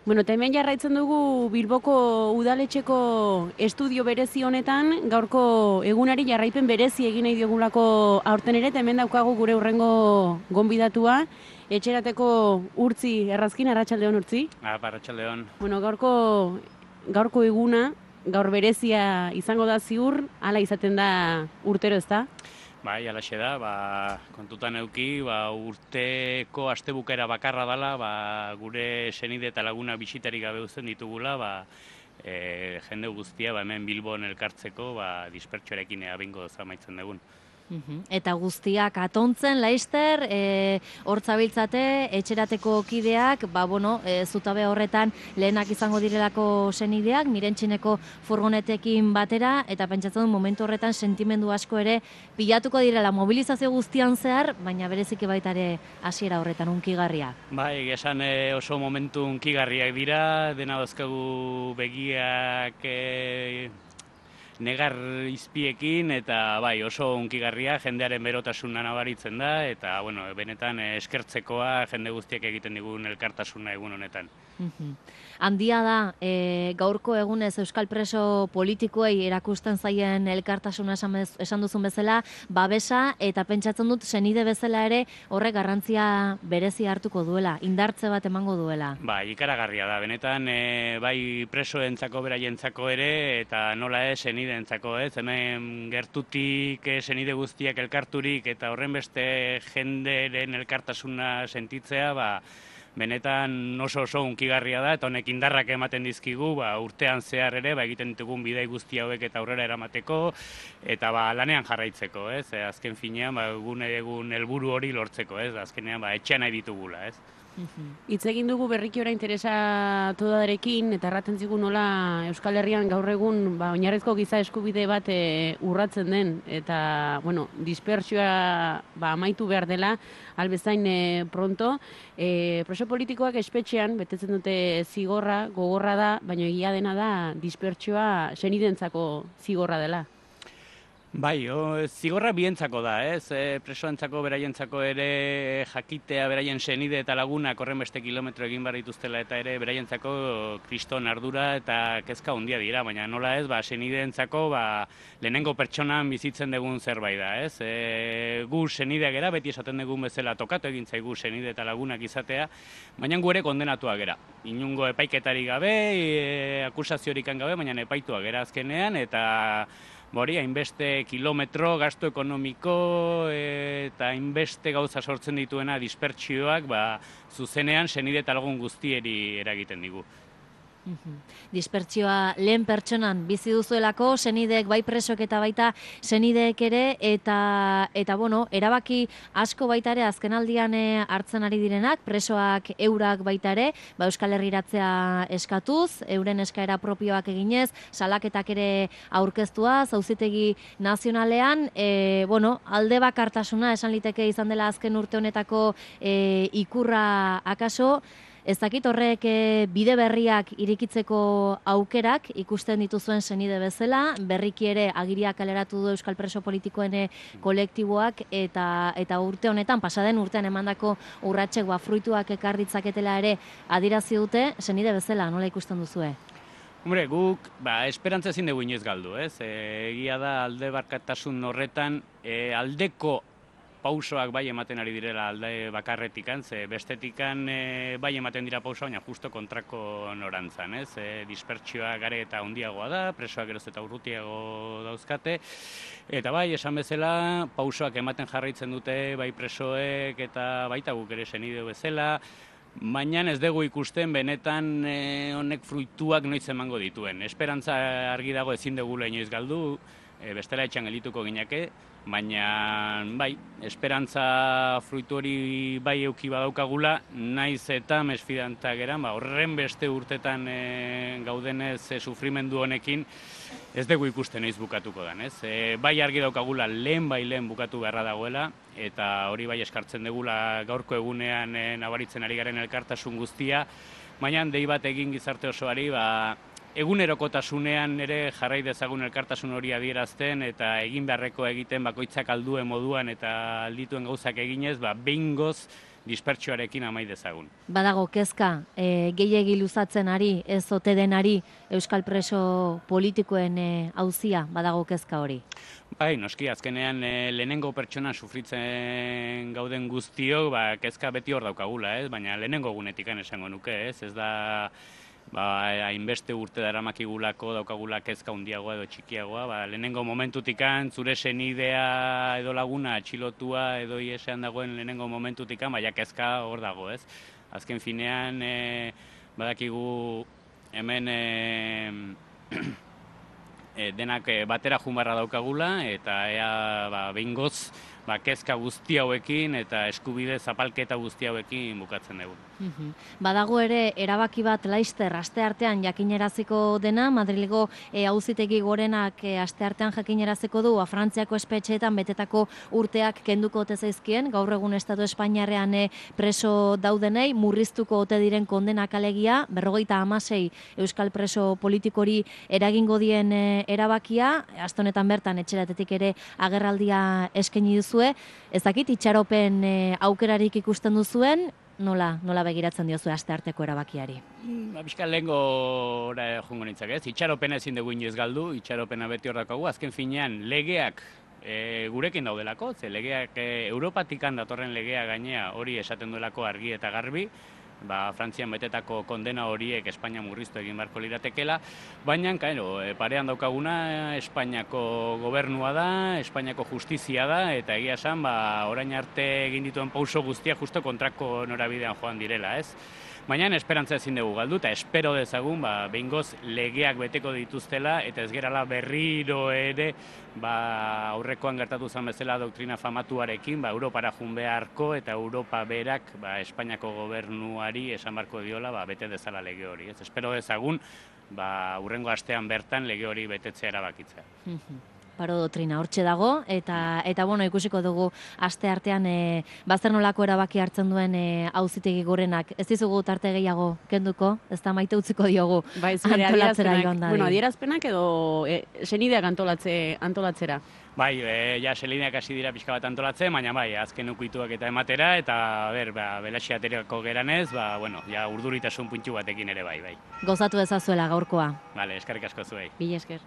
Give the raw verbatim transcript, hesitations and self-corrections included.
Bueno, eta hemen jarraitzen dugu Bilboko udaletxeko estudio berezi honetan, gaurko egunari jarraipen berezi egin nahi diogulako aurten ere, eta hemen daukagu gure hurrengo gonbidatua, etxerateko Urtzi Errazkin, arratsaldeon Urtzi. Ah, arratsaldeon. Bueno, gaurko, gaurko eguna, gaur berezia izango da ziur, hala izaten da urtero, ez da? Bai, alaxe da, ba, kontutan euki, ba, urteko astebukaera bakarra dela, ba, gure senide eta laguna bisitarik gabe uzten ditugula, ba, e, jende guztia ba, hemen Bilbon elkartzeko, ba, dispertsoarekin abingo zamaitzen dugun. Eta guztiak atontzen, laister, e, hortzabiltzate, etxerateko kideak, ba, bueno, e, zutabe horretan lehenak izango direlako senideak, mirentxineko furgonetekin batera, eta pentsatzen dut momentu horretan sentimendu asko ere pilatuko direla mobilizazio guztian zehar, baina bereziki baita ere hasiera horretan unkigarria. Bai, esan e, oso momentu unkigarriak dira, dena dauzkagu begiak e, negar izpiekin, eta bai, oso unkigarria, jendearen berotasuna nabaritzen da, eta bueno, benetan eskertzekoa jende guztiak egiten digun elkartasuna egun honetan. Handia da, e, gaurko egunez Euskal preso politikoei erakusten zaien elkartasuna esan, bez, esan duzun bezala, babesa, eta pentsatzen dut senide bezala ere horrek garrantzia berezi hartuko duela, indartze bat emango duela. Bai, ikaragarria da, benetan e, bai presoentzako beraientzako ere, eta nola ez senideentzako ez, hemen gertutik e, senide guztiak elkarturik eta horren beste jenderen elkartasuna sentitzea, ba, benetan oso oso unkigarria da, eta honek indarrak ematen dizkigu, ba, urtean zehar ere, ba, egiten ditugun bidai guzti hauek eta aurrera eramateko, eta ba, lanean jarraitzeko, ez? E, azken finean, ba, egun egun helburu hori lortzeko, ez? Azkenean, ba, etxean nahi ditugula, ez? Hitz egin dugu berriki orain interesatu darekin, eta erraten zigu nola Euskal Herrian gaur egun ba, oinarrizko giza eskubide bat e, urratzen den, eta bueno, dispertsioa ba, amaitu behar dela, albezain e, pronto. E, preso politikoak espetxean, betetzen dute zigorra, gogorra da, baina egia dena da dispertsioa senidentzako zigorra dela. Bai, o, zigorra bientzako da, ez? E, presoentzako, beraientzako ere jakitea, beraien senide eta lagunak horren beste kilometro egin behar dituztela eta ere beraientzako kriston ardura eta kezka handia dira, baina nola ez, ba, senideentzako ba, lehenengo pertsonan bizitzen dugun zerbait da, ez? E, gu senideak gera, beti esaten dugun bezala tokatu egin zaigu senide eta lagunak izatea, baina gu ere kondenatuak gera. Inungo epaiketarik gabe, e, akusaziorik gabe, baina epaituak gera azkenean, eta Bori, hainbeste kilometro, gasto ekonomiko eta hainbeste gauza sortzen dituena dispertsioak, ba, zuzenean senide eta lagun guztieri eragiten digu. Dispertsioa lehen pertsonan bizi duzuelako, senideek bai presok eta baita senideek ere, eta, eta bueno, erabaki asko baita ere azkenaldian hartzen ari direnak, presoak eurak baita ere, ba Euskal Herriratzea eskatuz, euren eskaera propioak eginez, salaketak ere aurkeztuaz, auzitegi nazionalean, e, bueno, alde bakartasuna esan liteke izan dela azken urte honetako e, ikurra akaso. Ez dakit horrek bide berriak irikitzeko aukerak ikusten dituzuen senide bezala, berriki ere agiriak kaleratu du Euskal Preso Politikoen kolektiboak, eta, eta urte honetan, pasaden urtean emandako urratsek ba, fruituak ekar ditzaketela ere adierazi dute, senide bezala, nola ikusten duzue? Hombre, guk, ba, esperantza ezin dugu inoiz galdu, ez? E, egia da alde barkatasun horretan, e, aldeko pausoak bai ematen ari direla alde bakarretikan, ze bestetikan e, bai ematen dira pausoa, baina justo kontrako norantzan, ez? E, dispertsioa gare eta handiagoa da, presoak geroz eta urrutiago dauzkate, eta bai, esan bezala, pausoak ematen jarraitzen dute, bai presoek eta baita guk ere senide bezala, baina ez dugu ikusten benetan e, honek fruituak noiz emango dituen. Esperantza argi dago ezin dugula inoiz galdu, e, bestela etxan geldituko gineke, baina bai, esperantza fruitu hori bai euki badaukagula, naiz eta mesfidantzak geran, ba, horren beste urtetan e, gaudenez e, sufrimendu honekin, ez dugu ikusten noiz bukatuko den, ez? E, bai argi daukagula lehen bai lehen bukatu beharra dagoela, eta hori bai eskartzen dugula gaurko egunean e, nabaritzen ari garen elkartasun guztia, baina dei bat egin gizarte osoari, ba, egunerokotasunean ere jarrai dezagun elkartasun hori adierazten eta egin beharreko egiten bakoitzak alduen moduan eta aldituen gauzak eginez, ba, behingoz dispertsioarekin amai dezagun. Badago kezka, e, gehiegi luzatzen ari, ez ote denari euskal preso politikoen e, auzia, badago kezka hori? Bai, noski, azkenean e, lehenengo pertsona sufritzen gauden guztiok, ba, kezka beti hor daukagula, ez? Baina lehenengo gunetikan esango nuke, ez? Ez da, ba, hainbeste urte daramakigulako daukagula kezka handiagoa edo txikiagoa, ba, lehenengo momentutikan zure senidea edo laguna atxilotua edo iesean dagoen lehenengo momentutikan, baina kezka hor dago, ez? Azken finean, e, badakigu hemen e, e, denak batera junbarra daukagula, eta ea ba, behingoz ba, kezka guzti hauekin eta eskubide zapalketa guzti hauekin bukatzen dugu. Badago ere erabaki bat laizter asteartean jakineraziko dena, Madrilgo e, auzitegi gorenak e, asteartean jakineraziko du a Frantziako espetxeetan betetako urteak kenduko ote zaizkien, gaur egun Estatu Espainiarrean e, preso daudenei, murriztuko ote diren kondenak alegia, berrogeita hamasei euskal preso politikori eragingo dien e, erabakia, aste honetan bertan etxeratetik ere agerraldia eskaini duzue, ez dakit itxaropen e, aukerarik ikusten duzuen, Nola, nola begiratzen diozu astearteko erabakiari? Ba, bizka lehengo jungo nintzak, ez? Itxaropena ezin dugu inoiz galdu, itxaropena beti hor daukagu, azken finean legeak e, gurekin daudelako, ze legeak e, Europatikan datorren legea gainea hori esaten duelako argi eta garbi, ba, Frantzian betetako kondena horiek Espainia murriztu egin beharko liratekela, baina, kaino, parean daukaguna Espainiako gobernua da, Espainiako justizia da, eta egia esan, ba, orain arte egin dituen pauso guztia justo kontrako norabidean joan direla, ez? Baina esperantza ezin dugu galdu, eta espero dezagun, ba, behingoz legeak beteko dituztela, eta ez gerala berriro ere, ba, aurrekoan gertatu zen bezala doktrina famatuarekin, ba, Europara jun beharko, eta Europa berak, ba, Espainiako gobernuari esan barko diola, ba, bete dezala lege hori. Ez espero dezagun, ba, urrengo astean bertan lege hori betetzea erabakitzea. Paro doktrina hortxe dago, eta, eta bueno, ikusiko dugu aste artean e, bazer nolako erabaki hartzen duen e, auzitegi gorenak. Ez dizugu tarte gehiago kenduko, ez da maite utziko diogu bai, antolatzera joan da. Bueno, adierazpenak edo e, senideak antolatze, antolatzera. Bai, e, ja, selineak hasi dira pixka bat antolatzen, baina bai, azken ukituak eta ematera, eta ber, ba, belaxi ateriako geranez, ba, bueno, ja, urduritasun puntxu batekin ere bai, bai. Gozatu ezazuela gaurkoa. Vale, eskerrik asko zuei. Mila esker.